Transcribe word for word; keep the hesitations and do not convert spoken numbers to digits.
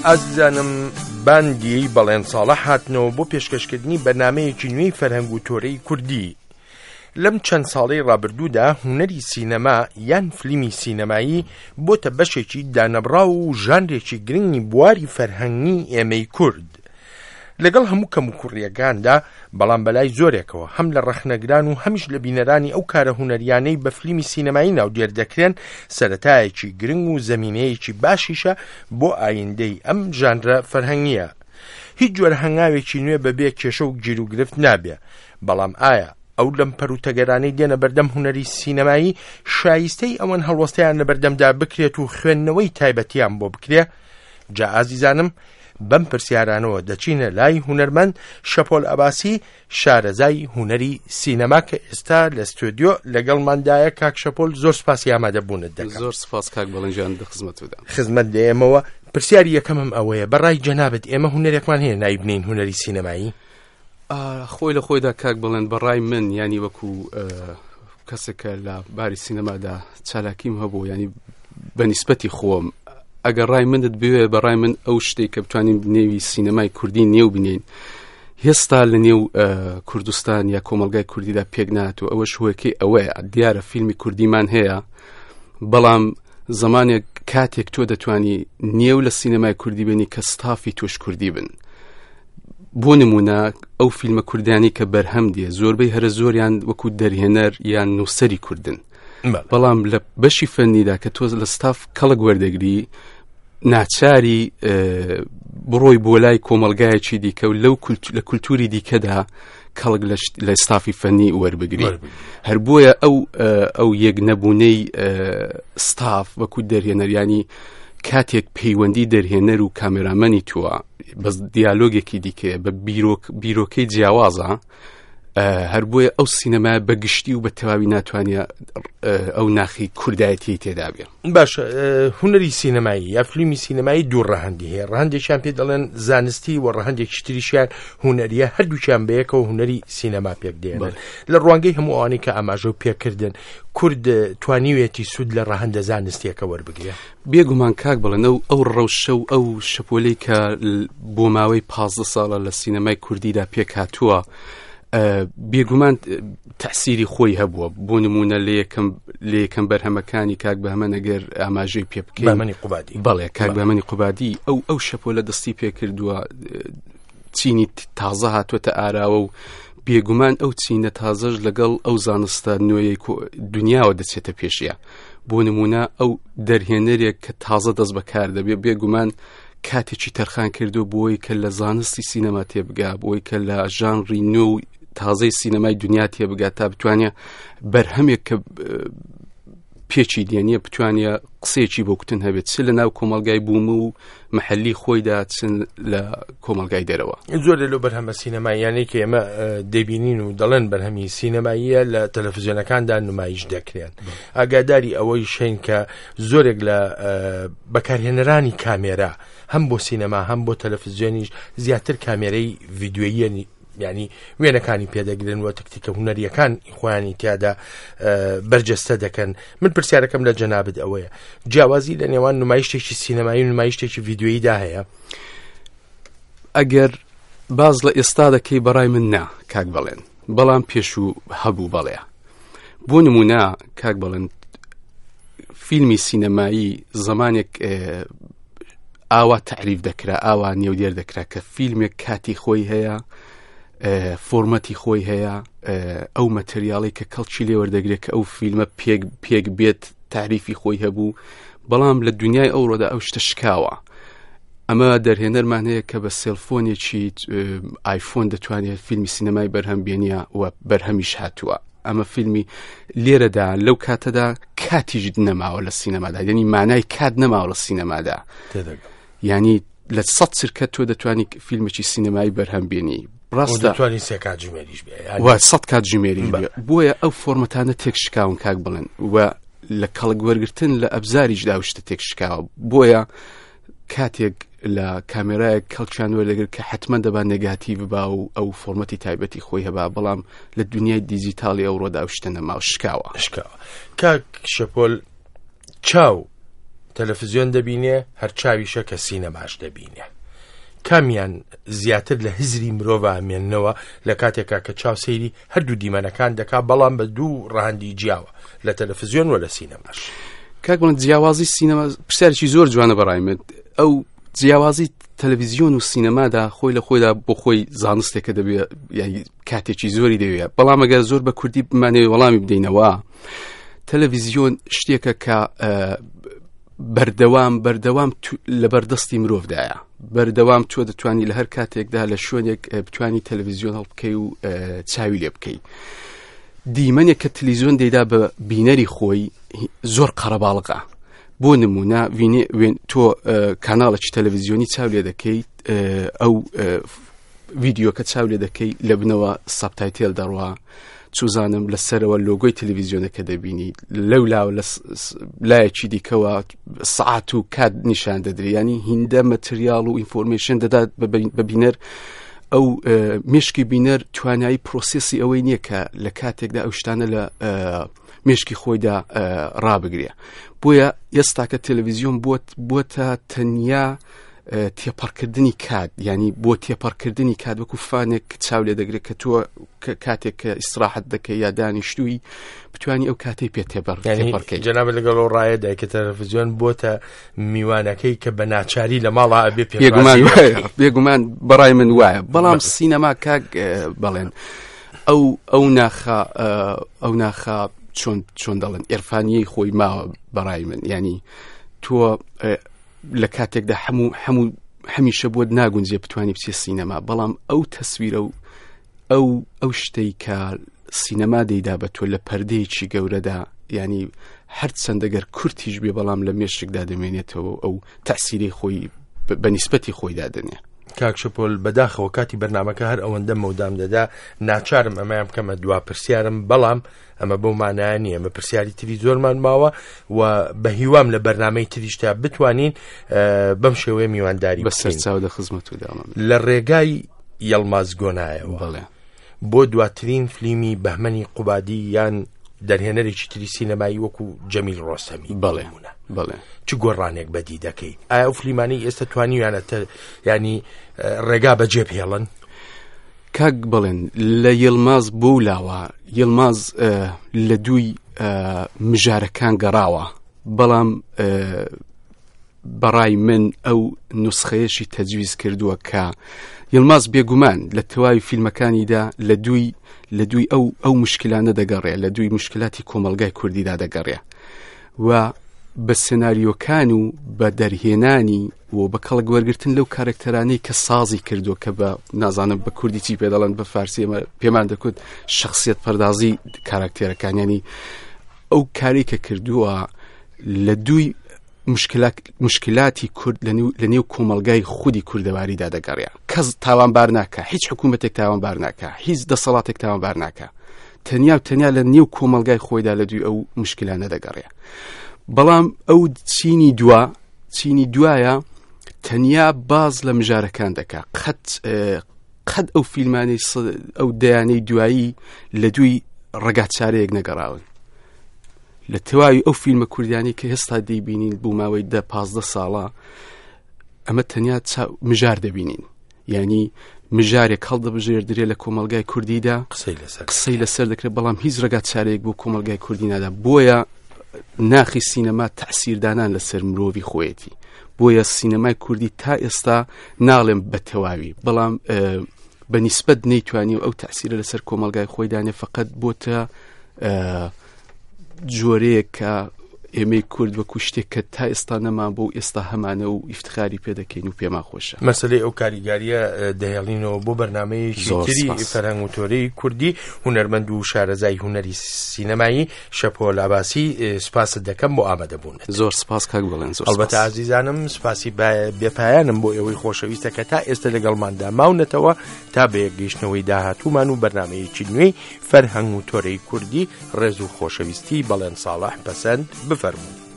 ئازیزانم، باندی بەڵێن ساڵح هاتنەوە بۆ پێشکەشکردنی بەرنامەیەکی نوێی فەرهەنگ و تۆرەی کوردی. لەم چەند ساڵەی ڕابردوودا هونەری سینەما یان فلیمی سینەمایی بۆتە بەشێکی دانەبڕاو و ژانرێکی گرنگی بواری فەرهەنگی ئێمەی کورد. لەگەڵ هەموو کەموکوڕیەکاندا، بەڵام بەلای زۆرێکەوە هەم لە ڕەخنەگران و هەمیش لە بینەرانی ئەو کارە هونەریانەی بە فلیمی سینەمایی ناودێر دەکرێن، سەرەتایەکی گرنگ و زەمینەیەکی باشیشە بۆ ئایندەی ئەم ژانرە فەرهەنگیە. هیچ جۆرە هەنگاوێکی نوێ بەبێ کێشە و گیروگرفت نابێ، بەڵام ئایا ئەو لەم پەروتەگەرانەی دێنە بەردەم هونەری سینەمایی شایستەی ئەوەن هەڵوەستەیان لە بەردەمدا بکرێت و خوێندنەوەی تایبەتیان بۆ بکرێ؟ جا ئازیزانم، بەم پرسیارانەوە دەچینە لای هونەرمەند شەپۆل ئەباسی، شارەزای هونەری سینەما کە ئێستا لە ستۆدیۆ لەگەڵماندایە. کاک شەپۆل، زۆر سپاسی ئامادەبوونت دەکەم. زۆر سپاس کاک بەڵێن گیان، لە خزمەتدا. خزمەت دێمەوە. پرسیاری یەکەمم ئەوەیە، بەڕای جەنابت ئێمە هونەرێکمان هەیە ناوی بنین هونەری سینەمایی؟ خۆی لە خۆیدا کاک بڵێن، بەڕای من، ینی وەکو کەسێکە لە باری سینەمادا چالاکیم هەبوو، ینی بە نیسبەتی خۆم ئەگەر ڕای منت بوێ، بەڕای من ئەو شتێک کە بتوانین نێوی سینەمای کوردی نێو بنین هێستا لە نێو کوردستان یا کۆمەلگای کوردیدا پێک نات و ئەوەش هۆیەکەی ئەوەیە دیارە فیلمی کوردیمان هەیە، بەڵام زمانێک کاتێک تۆ دەتوانی نێو لە سینەمای کوردی بێنی کە ستافی تۆش کوردی بن. بۆ نمونە ئەو فیلمە کوردیانی کە بەرهەم دێ زۆربەی هەرە زۆریان وەکو دەرهێنەر یان نووسەری کوردن، بەڵام لە بەشی فەنیدا کە تۆ لە ستاف کەڵک وەردەگری ناچاری بڕۆی بۆ لای کۆمەلگایەکی دیکە و لەو لە کولتوری دیکەدا کەڵک لە ستافی فەنی وەربگری. هەر بۆیە ئەو ئەو یەک نەبوونەی ستاف وەکو دەرهێنەریانی کاتێک پەیوەندی دەرهێنەر و کامێرامەنی تووە بەس دیالۆگێکی دیکەیە بە بیرۆکەی جیاوازە، هەر بۆیە ئەو سینەما بە گشتی و بە تەواوی ناتوانێت ئەو ناخی کوردایەتی تێدا بێ. باشە، هونەری سینەمایی یا فیلمی سینەمایی دوو ڕەهەندی هەیە، ڕەهەندێکیان پێ دەڵێن زانستی و ڕەهەندێکی تریشیان هونەریە، هەردووکیان بەیەکەوە هونەری سینەما پێک دێنن. لە ڕوانگەی هەموو ئەوانەی کە ئاماژە و پێکردن، کورد توانیوێتی سوود لە ڕەهەندە زانستیەکە وەربگرێ؟ بێگومان کاک بڵێن، ئەو ئەو ڕەوشە و ئەو شەپۆلەی کە بۆ ماوەی پازدە ساڵە لە سینەمای کوردیدا پێک هاتووە بێگومان تەسیری خۆی هەبووە. بۆ نمونە لە یەکەم لە یەکەم بەرهەمەکانی کاک بەهمەن ئەگەر ئاماژەی پێ بکەین، بەهمەنی قوبادی، بەڵێ کاک بەهمەنی قوبادی ئەو ئەو شەپۆلە دەستی پێکردووە، چینی تازە هاتووەتە ئاراوە و بێگومان ئەو چینە تازەش لەگەڵ ئەو زانستە نوێیەی دنیاوە دەچێتە پێشیە. بۆ نمونە ئەو دەرهێنەرێک کە تازە دەست بەکار دەبێت بێگومان کاتێکی تەرخان کردو بۆی کە لە زانستی سینەما تێبگا، بۆی کە لە ژانری نوێ و تازەی سینەمای دنیا تێبگا تا بتوانێت بەرهەمێک کە پێچی دێنیە بتوانێت قسەیەکی بۆ کوتن هەبێت، چ لە ناو کۆمەلگای بووم و محەلی خۆیدا چ لە کۆمەلگای دەرەوە. زۆر لەو بەرهەمە سینەماییانەی کە ئێمە دەبینین و دەڵێن بەرهەمی سینەماییە لە تەلەڤیزیۆنەکاندا نمایش دەکرێن. ئاگاداری ئەوەی شین کە زۆرێک لە بەکارهێنەرانی کامێرا هەم بۆ سینەما هەم بۆ تەلەڤیزیۆنیش زیاتر کامێرەی ڤیدیۆییە، ینی وێنەکانی پێدەگرن و تەکتیکە هونەریەکان خۆیانی تیادا بەرجەستە دەکەن. من پرسیارەکەم لە جەنابت ئەوەیە، جیاوازی لە نێوان نمایشتێکی سینەمایی و نمایشتێکی ڤیدیۆییدا هەیە؟ ئەگەر باز لە ئێستا دەکەی بەڕای من نا کاک بڵێن، بەڵام پێشوو هەبوو بەڵێ. بۆ نمونە کاک بڵێن فیلمی سینەمایی زمانێک ئاوا تعریف دەکرا، ئاوا نێودێر دەکرا کە فیلمێک کاتی خۆی هەیە، فۆرمەتی خۆی هەیە، ئەو مەتریاڵی کە کەڵکی لێوەردەگرێت کە ئەو فیلمە پێک پێک بێت تعریفی خۆی هەبوو. بەڵام لە دنیای ئەوڕۆدا ئەو شتە شکاوە. ئەمە دەرهێنەرمان هەیە کە بە سێلفۆنێکی ئایفۆن دەتوانێت فیلمی سینەمای بەرهەم بێنیە و بەرهەمیش هاتووە. ئەمە فیلمی لێرەدا لەو کاتەدا کاتیش نەماوە لە سینەمادا، یعنی مانای کات نەماوە لە سینەمادا. یعنی لە سەد چرکە تۆ دەتوانی فیلمێکی سینەمایی بەرهەم بێنی، ڕاستە دەتوانی سێ کاتژمێریش بێ و سەد کاتژمێریش بێ. بۆیە ئەو فۆرمەتانە تێک شکاون کاک بڵێن و لە کەڵک وەرگرتن لە ئەبزاریشدا ئەو شتە تێک شکاوە. بۆیە کاتێک لە کامێرایەک کەڵکیان وەردەگرت کە حتمما دەبا نێگاتیڤ با و ئەو فۆرمەتی تایبەتی خۆی هەبا، بەڵام لە دنیای دیجیتاڵی ئەوڕۆدا ئەو شتە نەماوە، شکاوە. شکاوە. کاک شەپۆل، چاو تەلەفزیۆن دەبینێ، هەر چاویشە کە سینەماش دەبینێ. کامیان زیاتر لە هزری مرۆڤ ئامێننەوە لە کاتێکا کە چاو سەیری هەردوو دیمەنەکان دەکا، بەڵام بە دوو ڕەهەندی جیاوە، لە تەلەفزیۆن و لە سینەماش؟ کاک بڵێن جیاوازی سینەما پرسیارێکی زۆر جوانە بەڕای من. ئەو جیاوازی تەلەڤیزیۆن و سینەمادا خۆی لە خۆیدا بۆ خۆی زانستێکە دەبێت، یعنی کاتێکی زۆری دەوێت. بەڵام ئەگەر زۆر بە کوردی بمانەوێت وەڵامی بدەینەوە، تەلەڤیزیۆن شتێکە کە بەردەوام بەردەوام لە بەردەستی مرۆڤدایە. بەردەوام تۆ دەتوانی لە هەر کاتێکدا لە شوێنێک بتوانی تەلەڤیزیۆن هەڵبکەی و چاوی لێ بکەی. دیمەنێک کە تەلەڤیزیۆن دەیدا بە بینەری خۆی زۆر قەرەباڵغە. بۆ نمونە تۆ کاناڵێکی تەلەڤیزیۆنی چاو لێ دەکەیت، ئەو ڤیدیۆکە چاو لێ دەکەی، لە بنەوە subtitle دەڕوا، چوزانم لەسەرەوە لۆگۆی تەلەڤیزیۆنەکە دەبینی، لەو لاوە لە لایەکی دیکەوە سعات و کات نیشان دەدرێ. ینی هیندە material و information دەدات بە بینەر. ئەو مشکی بینەر توانایی process ی ئەوەی نییە کە لە کاتێکدا ئەو شتانە لە مشکی خۆیدا ڕابگرێ. بۆیە ئێستاکە تەلەڤیزیۆن بۆتە تەنیا تێپەڕکردنی کات، ینی بۆ تێپەڕکردنی کات وەکو فانێک چاو لێ دەگرێت کە تۆ کاتێک کە ئیسراحەت دەکەی یا دانیشتووی بتوانی ئەو کاتەی پێ تێپەڕکەی. جەنابت لەگەڵ ئەو ڕایە دایکە تەلەڤیزیۆن بۆتە میوانەکەی کە بە ناچاری لە ماڵا ئەبێ پێ بێگومان بەڕای من وایە. بەڵام سینەما کاک بەڵێن ئەو ئەو ناخە ئەو ناخە چۆن چۆن دەڵێن ئێرفانیەی خۆی ماوە بەڕای من. ینی تۆ لە کاتێکدا هەموو هەموو هەمیشە بۆت ناگونجێ بتوانی بچێ سینەما، بەڵام ئەو تەسویرە و ئەو ئەو شتەی کە سینەما دەیدا بە تۆ لە پەردەیەکی گەورەدا، ینی هەرچەندەگەر کورتیش بێ بەڵام لە مێشکدا دەمێنێتەوە ئەو تەسیری خۆی بە نیسبەتی خۆیدا دەنێ. کاک شەپۆل بەداخەوە کاتی بەرنامەکە هەر ئەوەندە مەودام دەدا، ناچارم ئەمەیان بکەمە دوا پرسیارم، بەڵام ئەمە بەو مانایە نییە، ئەمە پرسیاری تری زۆرمان ماوە و بە هیوام لە بەرنامەی تریشتا بتوانین بەم شێوەیە میوانداری بەسەر چاو لە خزمەت و داما. لە ڕێگای یەڵماز گۆنایەوە بۆ دواترین فلیمی بەهمەنی قوبادی یان دەرهێنەرێکی تری سینەمایی وەکو جەمیل ڕۆستەمی، بەڵێ بەڵێ، چ گۆڕانێک بەدی دەکەی؟ ئایا ئەو فلیمانەی ئێستا توانیویانە ینی ڕێگا بەجێ بهێڵن؟ کاک بڵێن لە یڵماز بۆ لاوە، یڵماز لە دووی مژارەکان گەڕاوە، بەڵام بەڕای من ئەو نسخەیەشی تەجویز کردووە کە یڵماز بێگومان لە تەواوی فیلمەکانیدا لە دووی لە دووی ئەو ئەو مشکلانە دەگەڕێ، لە دووی مشکلاتی کۆمەلگای کوردیدا دەگەڕێ و بە سناریۆکان و بە دەرهێنانی و بە کەڵک وەرگرتن لەو کارکتەرانەی کە سازی کردووە کە بە نازانم بە کوردی چی پێ دەڵێن، بە فارسی ئێمە پێمان دەکوت شخصیت پەردازی کارکتەرەکان، ینی ئەو کاری کە کردووە لە دووی مشکلاتی کورد لە نێو کۆمەلگای خودی کوردەواریدا دەگەڕێ. کەس تاوانبار ناکە، هیچ حکوومەتێک تاوانبار ناکە، هیچ دەسەڵاتێک تاوانبار ناکە، تەنیا و تەنیا لە نێو کۆمەلگای خۆیدا لە دوی ئەو مشکلانە دەگەڕێ. بەڵام ئەو چینی دوا چینی دوایە تەنیا باز لە مژارەکان دەکا، قەت قەت ئەو فیلمانەی ئەو دەیانەی دوایی لە دوی ڕێگاچارەیەک نەگەڕاون. لە تەواوی ئەو فیلمە کوردیانی کە هێستا دەیبینین بۆ ماوەی دە پازدە ساڵە، ئەمە تەنیا مژار دەبینین، یعنی مژارێک هەڵدەبژێردرێ لە کۆمەلگای کوردیدا قسەی لەسەر دەکرێت، بەڵام هیچ ڕێگاچارەیەک بۆ کۆمەلگای کوردی نادا. بۆیە ناخی سینەما تەسیردانان لەسەر مرۆڤی خۆیەتی. بۆیە سینەمای کوردی تا ئێستا ناڵێم بە تەواوی، بەڵام بە نیسبەت نەیتوانی و ئەو تەسیرە لەسەر کۆمەلگای خۆی دانێ، فقط بۆتە جۆرەیە کە ئێمەی کورد وەکو شتێک کە تا ئێستا نەمان بۆ ئێستا هەمانە و ئیفتخاری پێدەکەین و پێمان خۆشە. مەسلەی ئەو کاریگاریە دەهێڵینەوە بۆ بەرنامەیەکی تری فەرهەنگ و تۆرەی کوردی. هونەرمەند و شارەزای هونەری سینەمایی شەپۆل عەباسی، سپاست دەکەم بۆ ئامادەبوونت. زۆر سپاس کاک بڵێن. زۆر ئەلبەتە ئازیزانم سپاسی بێپایانم بۆ ئێوەی خۆشەویستە کە تا ئێستا لەگەڵماندا ماونەتەوە تا بە یەکگەیشتنەوەی داهاتوومان و بەرنامەیەکی نوێی فەرهەنگ و تۆرەی کوردی. ڕێز و خۆشەویستی بەڵێن ساڵح پەسەند بفەرموو.